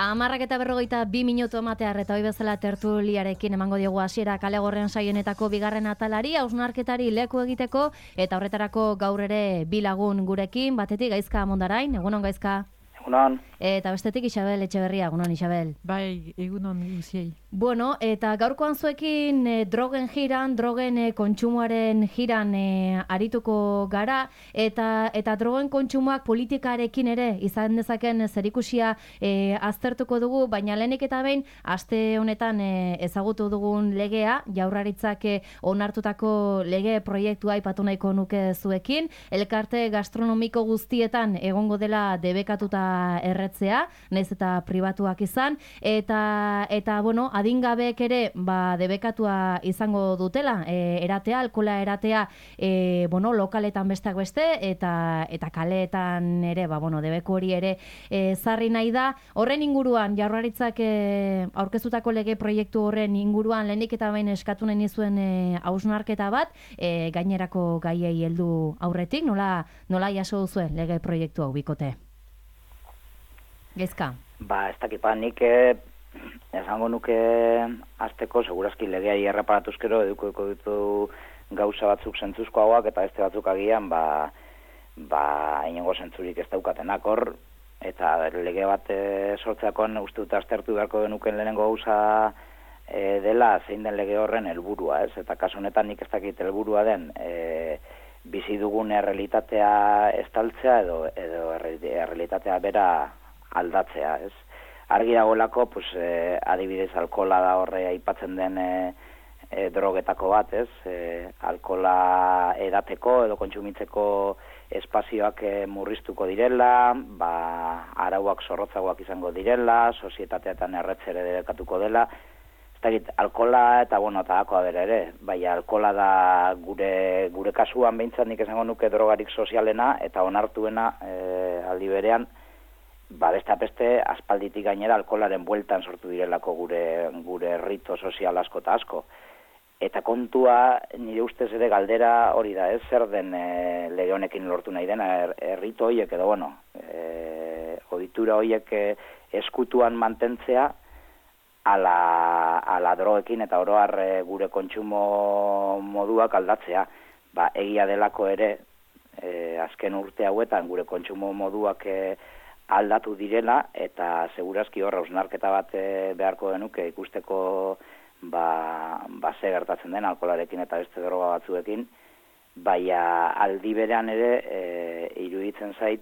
10:42 ematear eta hoi bezala tertuliarekin emango diogu hasiera Kale Gorrian saionetako bigarren atalari, hausnarketari leku egiteko eta horretarako gaur ere bi lagun gurekin, batetik Gaizka Mondarain, egunon Gaizka. Egunon. Eta bestetik Isabel Etxeberria, egunon Isabel. Bai, egunon guziei. Bueno, eta gaurkoan zuekin drogen kontsumoaren jiran arituko gara, eta drogen kontsumoak politikarekin ere izan dezaken zerikusia aztertuko dugu, baina lehenik eta behin, aste honetan ezagutu dugun legea, Jaurlaritzak onartutako lege proiektua aipatu nahiko nuke zuekin, elkarte gastronomiko guztietan egongo dela debekatuta erretzea, nahiz eta pribatuak izan, eta bueno, adingabeek ere debekatua izango dutela, alkohola eratea, lokaletan besteak beste, eta kaleetan ere, debeku hori ere zarri nahi da. Horren inguruan, Jaurlaritzak aurkeztutako lege proiektu horren inguruan, lehenik eta behin eskatu nahi nizuen hausnarketa bat, gainerako gaiei heldu aurretik, nola jaso duzuen lege proiektu hau bikote? Gaizka? Ez dakit, nik esango nuke azteko, segurazki legeai erreparatuzkero eduko ditu gauza batzuk zentzuzkoagoak eta beste batzuk agian inongo zentzurik ez daukatenak hor, eta lege bat sortzeakoan uste dut aztertu beharko genuken lehenengo gauza dela zein den lege horren helburua, ez? Eta kasu honetan nik ez dakit helburua den bizi dugun errealitatea estaltzea edo errealitatea bera aldatzea, ez? Argi dagoelako, adibidez alkohola da horre aipatzen den drogetako bat, ez? Alkohola edateko edo kontsumitzeko espazioak murriztuko direla, arauak zorrotzagoak izango direla, sozietateetan erretzere debekatuko dela. Ez dakit, alkohola eta dako ere, bai alkohola da gure kasuan behintzat nik esango nuke drogarik sozialena eta onartuena aldi berean, beste aspalditik gainera alkoholaren bueltan sortu direlako gure rito sozial asko eta asko. Eta kontua, nire ustez ere galdera hori da, ez zer den lege honekin lortu nahi dena, rito horiek edo, ohitura horiek eskutuan mantentzea ala drogekin eta oroar gure kontsumo moduak aldatzea. Egia delako ere, azken urte hauetan gure kontsumo moduak aldatu direla, eta segurazki horra hausnarketa bat beharko genuke ikusteko ze gertatzen den alkoholarekin eta beste droga batzuekin, baina aldi berean ere iruditzen zait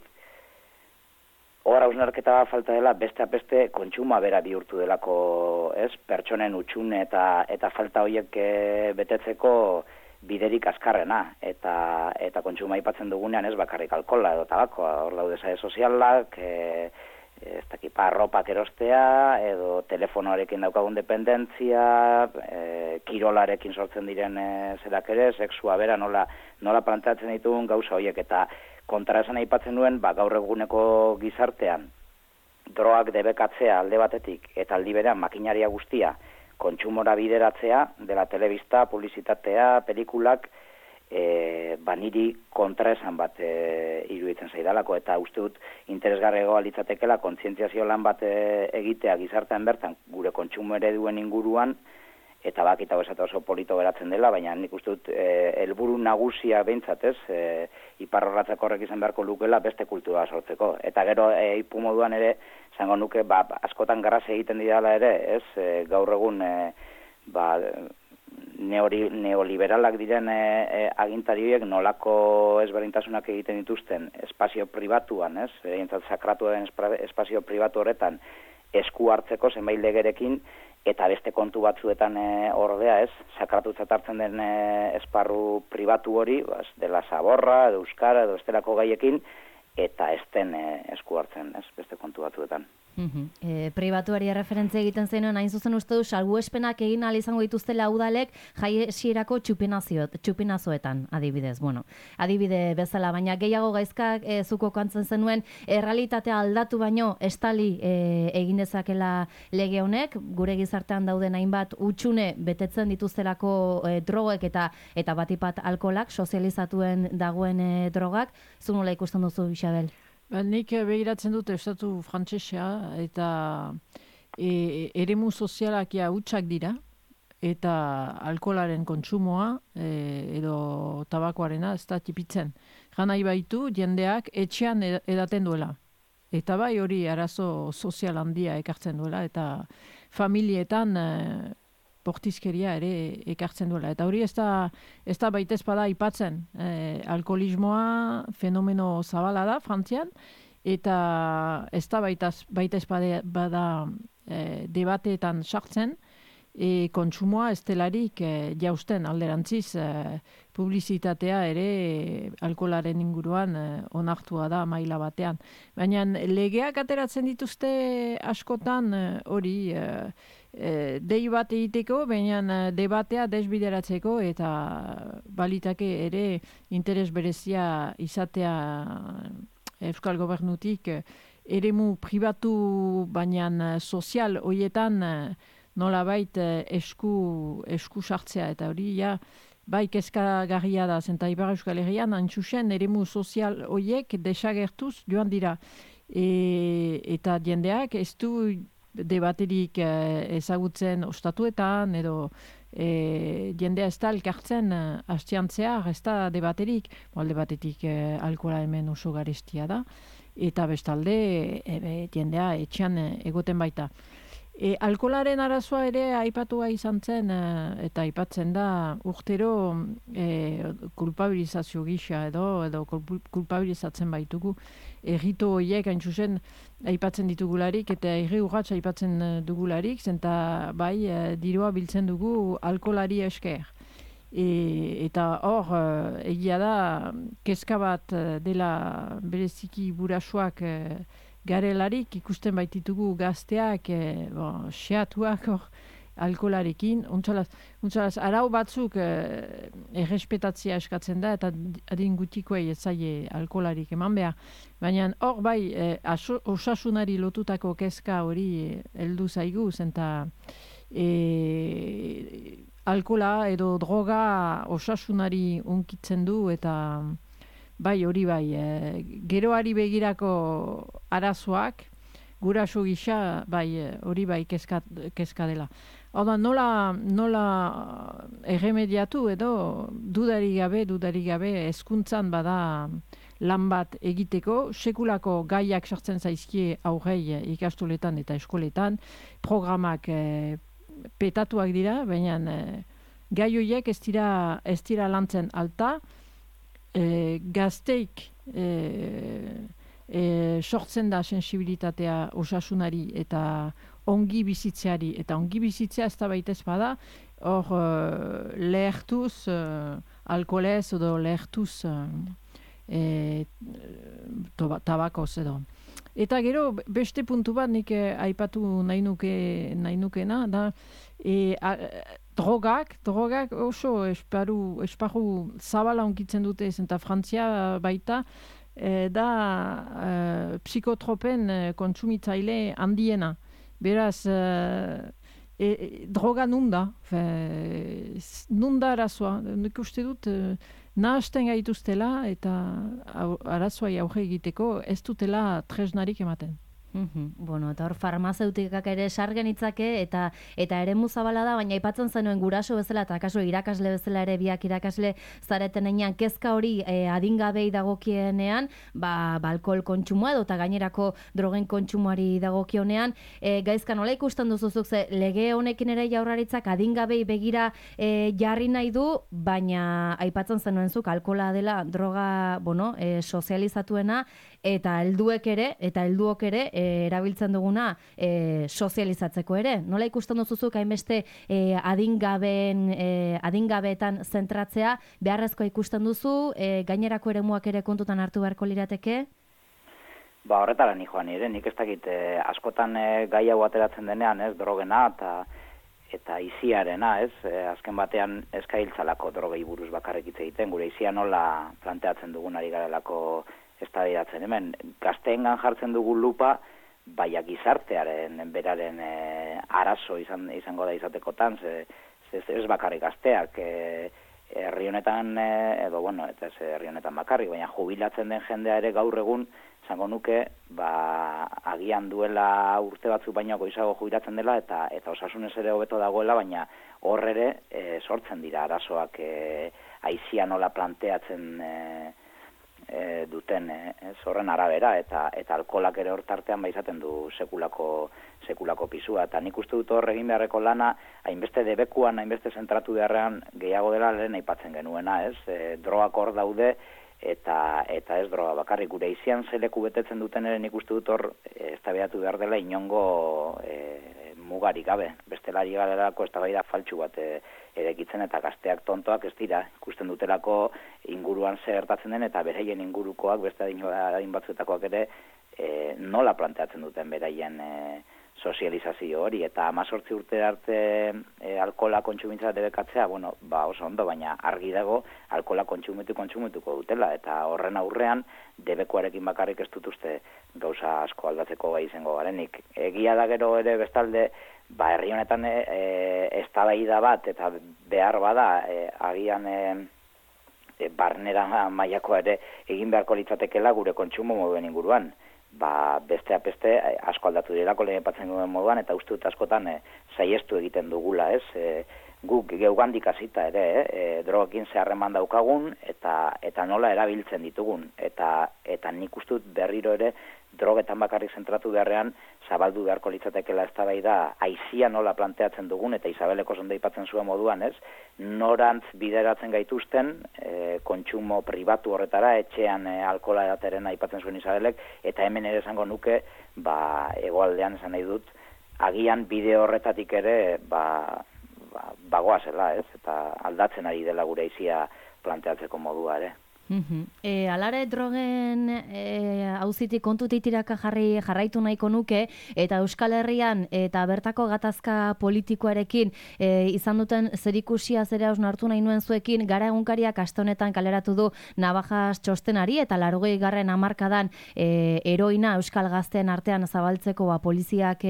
hor hausnarketa bat falta dela beste kontsumoa bera bihurtu delako, ez? Pertsonen utxune eta falta horiek betetzeko biderik azkarrena, eta kontsuma aipatzen dugunean ez bakarrik alkohola edo tabakoa, hor daude sare sozialak, ez dakit, arropak erostea, edo telefonoarekin daukagun dependentzia, kirolarekin sortzen diren zerak ere, sexua bera nola planteatzen ditugun gauza horiek, eta kontraesan aipatzen duen, gaur eguneko gizartean, drogak debekatzea alde batetik, eta aldi berean makinaria guztia, kontsumora bideratzea, dela telebista, publizitatea, pelikulak, niri kontraesan bat iruditzen zaidalako, eta uste dut interesgarriagoa litzatekela kontzientziazio lan bat egitea gizartean bertan gure kontsumo ereduen inguruan, eta bakita esate oso polito geratzen dela, baina nik uste dut helburu nagusia behintzat, ez, iparrorratzeko horrek izan beharko lukela beste kultura sortzeko. Eta gero ipu moduan ere, zango nuke, askotan garraz egiten didala ere, ez, gaur egun neoliberalak diren agintari horiek nolako ezberdintasunak egiten dituzten espazio pribatuan, ez, sakratu den espazio pribatu horretan esku hartzeko zenbait legerekin, eta beste kontu batzuetan ordea, ez, sakratutzat hartzen den esparru pribatu hori, dela zaborra, edo euskara, edo estelako gaiekin, eta ez den esku hartzen, ez, beste kontu batzuetan. Pribatuari referentzia egiten zenuen, hain zuzen uste du, salbuespenak egin ahal izango dituztela udalek jaiesierako txupinazoetan, adibidez. Adibide bezala, baina gehiago Gaizkak zuko kantzen zenuen, errealitatea aldatu baino estali egin dezakela lege honek, gure gizartean dauden hainbat utxune betetzen dituztelako drogek eta batipat alkoholak, sozializatuen dagoen drogak. Zu nola ikusten duzu, Isabel? Nik begiratzen dut estatu frantsesea eta eremu sozialak hutsak dira eta alkoholaren kontsumoa edo tabakoarena ez da tipitzen. Janai baitu jendeak etxean edaten duela. Eta bai hori arazo sozial handia ekartzen duela eta familietan bortizkeria ere ekartzen duela. Eta hori ez da baita espada aipatzen. Alkoholismoa fenomeno zabala da Frantzian eta ez da baita espada bada debateetan sartzen kontsumoa estelarik jausten alderantziz publizitatea ere alkoholaren inguruan onartua da maila batean. Baina legeak ateratzen dituzte askotan hori dei bat egiteko, baina debatea desbideratzeko eta balitake ere interes berezia izatea Euskal Gobernutik eremu pribatu baina sozial hoietan nolabait esku sartzea eta hori bai kezkagarria da zenta Ipar Euskal Herrian antxusen eremu sozial hoiek desagertuz joan dira eta jendeak ez du debaterik ezagutzen ostatuetan edo jendea ez da elkartzen hastiantzear ez da debaterik alde batetik alkohola hemen oso garestia da eta bestalde jendea etxean egoten baita. Alkoholaren arazoa ere aipatua izan zen eta aipatzen da urtero kulpabilizazio gisa edo kulpabilizatzen baitugu errito horiek hain zuzen aipatzen ditugularik eta herri urrats aipatzen dugularik zenta bai dirua biltzen dugu alkoholari esker. Eta hor egia da kezka bat dela bereziki burasuak garelarik ikusten baititugu gazteak xeatuak alkoholarekin. Untsalaz, arau batzuk errespetatzea eskatzen da eta adin gutikoei ez zaie alkoholarik eman behar. Baina hor bai osasunari lotutako kezka hori heldu zaigu zenta alkohola edo droga osasunari unkitzen du eta bai, hori bai, geroari begirako arazoak, guraso gisa, bai, hori bai kezka dela. Hau da, nola erremediatu edo dudarik gabe hezkuntzan bada lan bat egiteko, sekulako gaiak sartzen zaizkie aurrei ikastoletan eta eskoletan, programak petatuak dira, baina gai horiek ez dira lantzen alta, gazteik sortzen da sensibilitatea osasunari eta ongi bizitzeari eta ongi bizitzea ez da baita espada hor lehertuz alkoholez edo lehertuz tabakoz edo. Eta gero beste puntu bat nik aipatu nahi nukena da drogak oso esparru zabala onkitzen dute eta Frantzia baita da psikotropen kontsumitzaile handiena. Beraz, droga nunda arazoa. Nik uste dut nahasten gaituztela eta arazoa aurre egiteko ez dutela tresnarik ematen. Bueno, eta hor farmazeutikak ere sargen itzake eta eremu zabala da, baina aipatzen zenuen guraso bezala eta kasu irakasle bezala ere biak irakasle zareten enean kezka hori adingabei dagokienean, alkohol kontsumoa edo eta gainerako drogen kontsumoari dagokionean, gaizka nola ikusten duzuzuk ze lege honekin ere Jaurlaritzak adingabei begira jarri nahi du, baina aipatzen zenuen zuk alkohola dela droga, sozializatuena eta helduok ere erabiltzen duguna sozializatzeko ere. Nola ikusten duzuzuk hainbeste adingabeetan zentratzea, beharrezkoa ikusten duzu, gainerako eremuak ere kontutan hartu beharko lirateke? Horretara ni joan ere, nik ez dakit askotan gai hau ateratzen denean, drogena eta iziarena, azken batean eskailtzalako drogei buruz bakarrik hitz egiten, gure izia nola planteatzen dugun ari garelako eztabaidatzen hemen. Gazteengan jartzen dugu lupa, baina gizartearen beraren arazo izango da izatekotan, ez bakarrik gazteak herri honetan, edo bueno, eta ez herri honetan bakarrik, baina jubilatzen den jendea ere gaur egun, esango nuke, agian duela urte batzuk baino goizago jubilatzen dela, eta osasunez ere hobeto dagoela, baina hor ere sortzen dira arazoak aizia nola planteatzen duten horren arabera, eta alkoholak ere hor tartean izaten du sekulako pisua, eta nik uste dut hor egin beharreko lana, hainbeste debekuan, hainbeste zentratu beharrean gehiago dela lehen aipatzen genuena, drogak hor daude, eta ez droga bakarrik, gure izian zeleku betetzen duten ere nik uste dut hor eztabaidatu behar dela inongo mugarik gabe, bestelari galerako eztabaida faltsu bat erekitzen, eta gazteak tontoak ez dira, ikusten dutelako inguruan zer gertatzen den, eta beraien ingurukoak, beste adin batzuetakoak ere, nola planteatzen duten beraien sozializazio hori, eta 18 urte arte alkohola kontsumitza debekatzea, bueno, oso ondo, baina argi dago alkohola kontsumituko dutela, eta horren aurrean debekuarekin bakarrik ez dut uste gauza asko aldatzeko gai izango garenik. Egia da gero ere bestalde, herri honetan eztabaida bat, eta behar bada, agian barnera mailako ere egin beharko litzatekela gure kontsumo moduen inguruan. Besteak beste asko aldatu direlako lehen aipatzen duen moduan, eta uste dut askotan saiestu egiten dugula, guk geugandik hasita ere, drogekin zeharreman daukagun, eta nola erabiltzen ditugun, eta nik uste dut berriro ere drogetan bakarrik zentratu beharrean zabaldu beharko litzatekeela eztabaida aizia nola planteatzen dugun, eta Isabeleko zonde aipatzen zuen moduan, norantz bideratzen gaituzten kontsumo pribatu horretara, etxean alkohola edateren aipatzen zuen Isabelek, eta hemen ere esango nuke, hegoaldean esan nahi dut, agian bide horretatik ere bagoazela, eta aldatzen ari dela gure aizia planteatzeko modua ere. Alare drogen auzitik kontutik tiraka jarraitu nahiko nuke, eta Euskal Herrian eta bertako gatazka politikoarekin izan duten zerikusia zera osnartu nahi nuen zuekin, Gara egunkariak aste honetan kaleratu du Navajas txostenari, eta 80. hamarkadan heroina Euskal gazteen artean zabaltzeko poliziak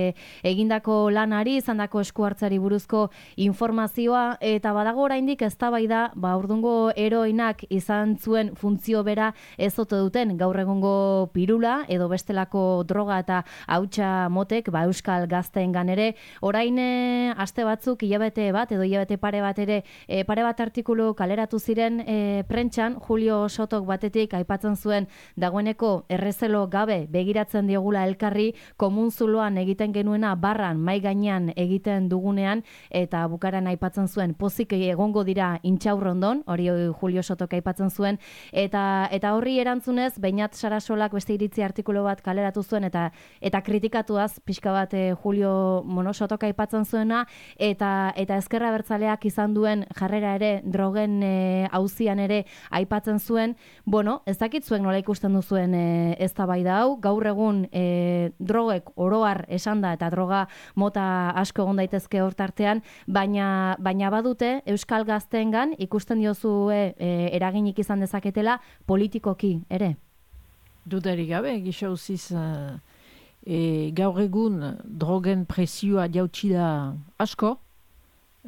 egindako lanari, izandako esku hartzari buruzko informazioa, eta badago oraindik eztabaida, urdungo heroinak izan zuen funtzio bera ez ote duten gaur egungo pirula edo bestelako droga eta hautsa motek Euskal gazteengan ere. Orain aste batzuk, hilabete bat edo hilabete pare bat artikulu kaleratu ziren prentsan, Julio Sotok batetik aipatzen zuen dagoeneko errezelo gabe begiratzen diogula elkarri, komun zuloan egiten genuena barran mai gainean egiten dugunean, eta bukaran aipatzen zuen pozik egongo dira intxaurrondon, hori Julio Sotok aipatzen zuen, eta horri erantzunez, Beñat Sarasolak beste iritzi artikulu bat kaleratu zuen, eta kritikatuaz pixka bat Julio Sotok aipatzen zuena, eta ezkerra abertzaleak izan duen jarrera ere drogen auzian ere aipatzen zuen. Ez dakit zuek nola ikusten duzuen eztabaida hau, gaur egun drogek oroar esanda, eta droga mota asko egon daitezke hortartean, baina badute Euskal gazteengan ikusten diozue eraginik izan dezaketela politikoki ere? Dudarik gabe, gisa uziz gaur egun drogen presioa jautsi da asko,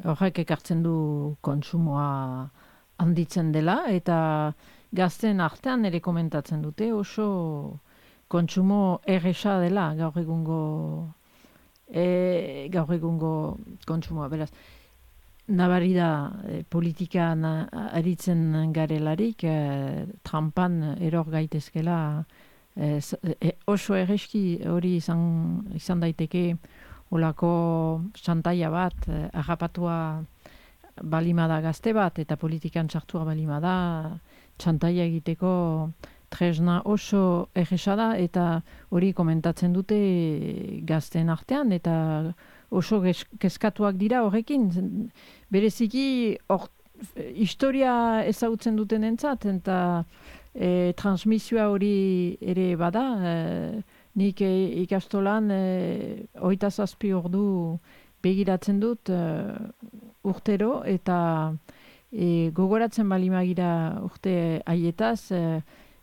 horrek ekartzen du kontsumoa handitzen dela, eta gazten artean ere komentatzen dute oso kontsumo erresa dela gaur egungo kontsumoa, beraz. Nabari da politikan aritzen garelarik, trampan eror gaitezkela, oso erreski hori izan daiteke olako xantaia bat, arrapatua balimada gazte bat, eta politikan sartua balimada, xantaia egiteko tresna oso erresa da, eta hori komentatzen dute gazten artean, eta oso kezkatuak dira horrekin. Bereziki historia ezagutzen duten entzat, eta transmisioa hori ere bada. Nik ikastolan 27 ordu begiratzen dut urtero, eta gogoratzen balimagira urte haietaz,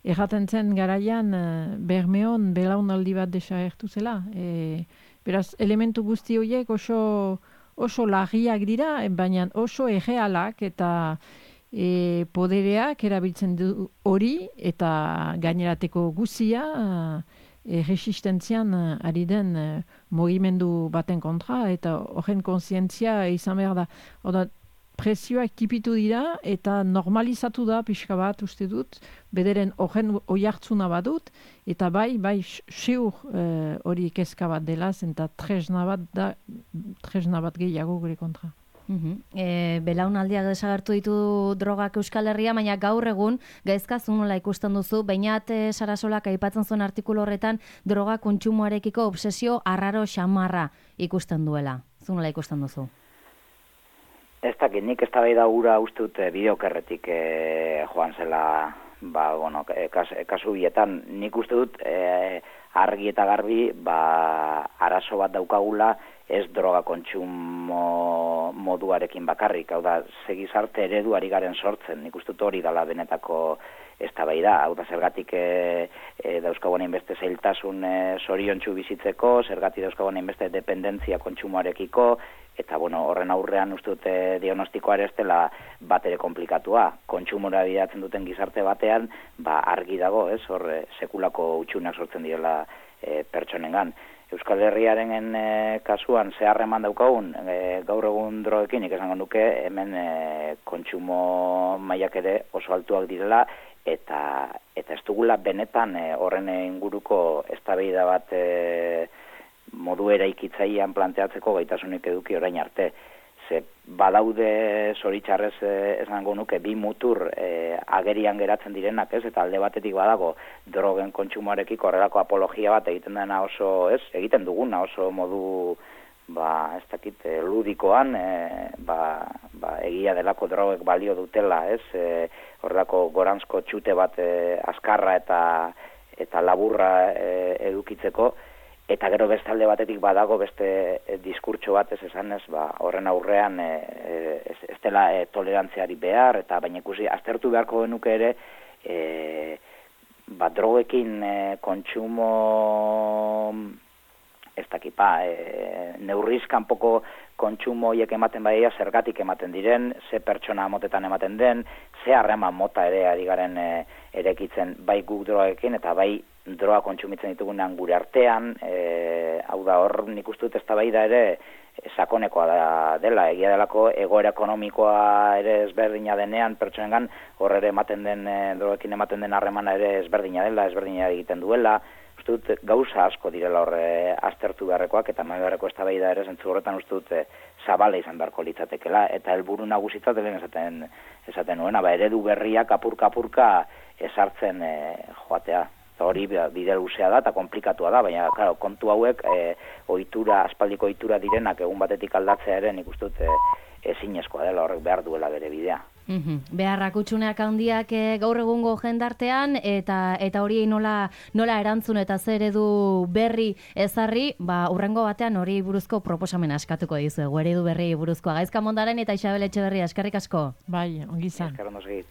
erraten zen garaian Bermeon belaunaldi bat desagertu zela. Beraz, elementu guzti horiek oso larriak dira, baina oso errealak, eta podereak erabiltzen du hori eta gainerateko guzia resistentzian ari den mugimendu baten kontra eta horren kontzientzia izan behar da. Oda, presioak tipitu dira eta normalizatu da pixka bat uste dut, bederen horren oihartzuna badut, eta bai seur hori kezka bat dela, eta tresna bat gehiago gure kontra. Belaunaldiak desagertu ditu drogak Euskal Herria, baina gaur egun gaizka zu nola ikusten duzu, Beñat Sarasolak aipatzen zuen artikulu horretan droga kontsumoarekiko obsesio arraro xamarra ikusten duela. Zu nola ikusten duzu? Ez dakit, nik eztabaida hura uste dut bideokerretik joan zela, kasu bietan. Nik uste dut argi eta garbi arazo bat daukagula ez droga kontsumo moduarekin bakarrik. Hau da, segizarte eredu ari garen sortzen. Nik uste dut hori dala benetako eztabaida. Hau da, zergatik dauzkagoen inbeste zailtasun zoriontsu bizitzeko, zergatik dauzkagoen inbeste dependentzia kontsumoarekiko, eta horren aurrean uste dute diagnostikoa ere ez dela bat ere komplikatua. Kontsumora bidatzen duten gizarte batean, argi dago, ez, hor sekulako utxunak sortzen direla pertsonengan. Euskal Herriaren kasuan ze harreman daukagun, gaur egun drogekin esango nuke, hemen kontsumo mailak ere oso altuak direla, eta ez dugula benetan horren inguruko eztabaida bat modu eraikitzailean planteatzeko gaitasunik eduki orain arte. Ze badaude zoritxarrez esango nuke bi mutur agerian geratzen direnak, ez? Eta alde batetik badago drogen kontsumoarekiko horrelako apologia bat egiten duguna oso modu ez dakit ludikoan egia delako drogek balio dutela, ez? Horrelako goranzko txute bat azkarra eta laburra edukitzeko. Eta gero beste alde batetik badago beste diskurtso bat esanez, horren aurrean ez dela tolerantziari behar, eta baina ikusi, aztertu beharko genuke ere, drogekin kontsumo, ez dakit, neurriz kanpoko kontsumo horiek ematen badia, zergatik ematen diren, ze pertsona motetan ematen den, ze harreman mota ere ari garen erekitzen bai guk drogekin, eta bai droga kontsumitzen ditugunean gure artean, hau da hor nik uste dut eztabaida ere sakonekoa dela, egia delako egoera ekonomikoa ere ezberdina denean pertsonengan, hor ere ematen den, drogekin ematen den harremana ere ezberdina dela, ezberdina egiten duela, uste dut gauza asko direla hor aztertu beharrekoak, eta mai beharreko eztabaida ere zentzu horretan uste dut zabala izan beharko litzatekela, eta helburu nagusitzat lehen esaten nuena, eredu berriak apurka ezartzen joatea. Eta hori bide luzea da eta komplikatua da, baina claro, kontu hauek aspaldiko ohitura direnak egun batetik aldatzea ere nik uste dut ezinezkoa dela, horrek behar duela bere bidea. Beharrak utxuneak handiak gaur egungo jendartean eta hori nola erantzun eta zer eredu berri ezarri, hurrengo batean hori buruzko proposamen askatuko dizuegu, eredu berri buruzkoa. Gaizka Mondaren eta Isabel Etxeberria, eskerrik asko. Bai, ongi izan. Eskerrik asko.